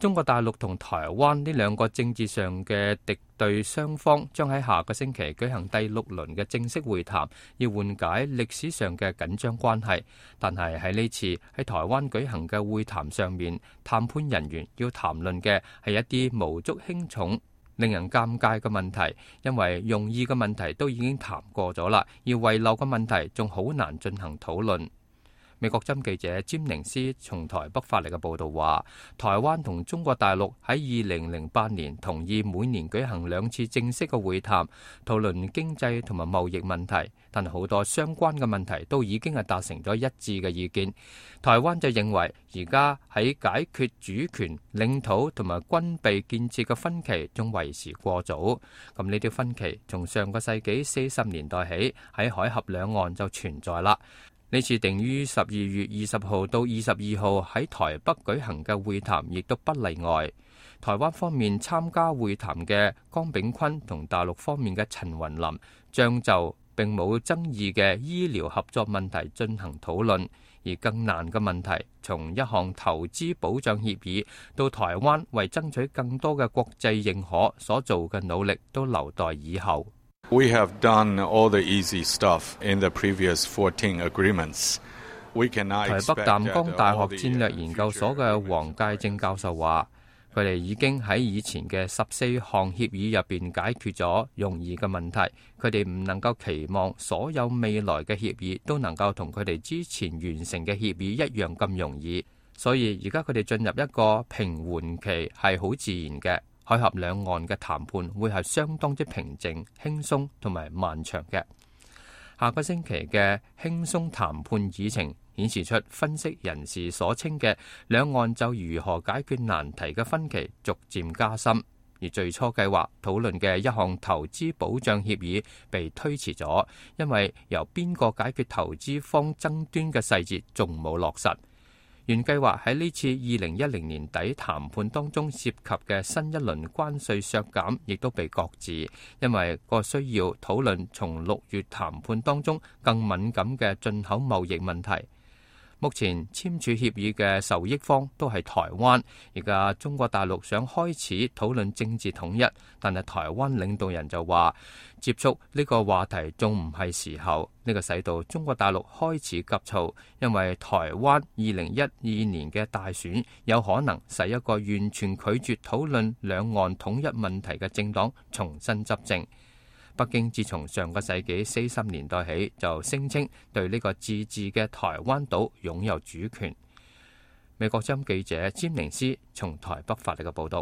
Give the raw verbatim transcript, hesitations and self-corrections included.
中國大陸同台灣呢兩個政治上嘅敵對雙方將喺下個星期舉行第六輪嘅正式會談，要緩解歷史上嘅緊張關係。但係喺呢次喺台灣舉行嘅會談上面，談判人員要談論嘅係一啲無足輕重、令人尷尬嘅問題，因為容易嘅問題都已經談過咗啦，而遺漏嘅問題仲好難進行討論。美國針記者詹寧斯從台北發嚟嘅報道話，台灣同中國大陸喺二零零八年同意每年舉行兩次正式嘅會談，討論經濟同埋貿易問題，但係好多相關嘅問題都已經係達成咗一致嘅意見。台灣就認為而家喺解決主權、領土同埋軍備建設嘅分歧仲為時過早。咁呢啲分歧從上個世紀四十年代起喺海峽兩岸就存在啦。呢次定於十二月二十號到二十二號喺台北舉行嘅會談，亦都不例外。台灣方面參加會談嘅江炳坤同大陸方面嘅陳雲林將就並冇爭議嘅醫療合作問題進行討論，而更難嘅問題，從一項投資保障協議到台灣為爭取更多嘅國際認可所做嘅努力，都留待以後。We have done all the easy stuff in the previous fourteen agreements. We cannot expect that 台北淡江大學戰略研究所嘅黃介正教授話，佢哋已經喺以前嘅十四項協議入邊解決咗容易嘅問題，佢哋唔能夠期望所有未來嘅協議都能夠同佢哋之前完成嘅協議一樣咁容易，所以而家佢哋進入一個平緩期係好自然嘅。海峽兩岸嘅談判會係相當之平靜、輕鬆同埋漫長嘅。下個星期嘅輕鬆談判議程顯示出分析人士所稱嘅兩岸就如何解決難題嘅分歧逐漸加深，而最初計劃討論嘅一項投資保障協議被推遲咗，因為由邊個解決投資方爭端嘅細節仲冇落實。原計劃喺呢次二零一零年底談判當中涉及嘅新一輪關稅削減，亦都被擱置，因為個需要討論從六月談判當中更敏感嘅進口貿易問題。目前簽署協議嘅受益方都係台灣，而家中國大陸想開始討論政治統一，但係台灣領導人就話接觸呢個話題仲唔係時候，呢個使到中國大陸開始急躁，因為台灣二零一二年嘅大選有可能使一個完全拒絕討論兩岸統一問題嘅政黨重新執政。北京自從上個世紀四十年代起就聲稱對呢個自治嘅台灣島擁有主權。美國針記者詹寧斯從台北發嚟嘅報道。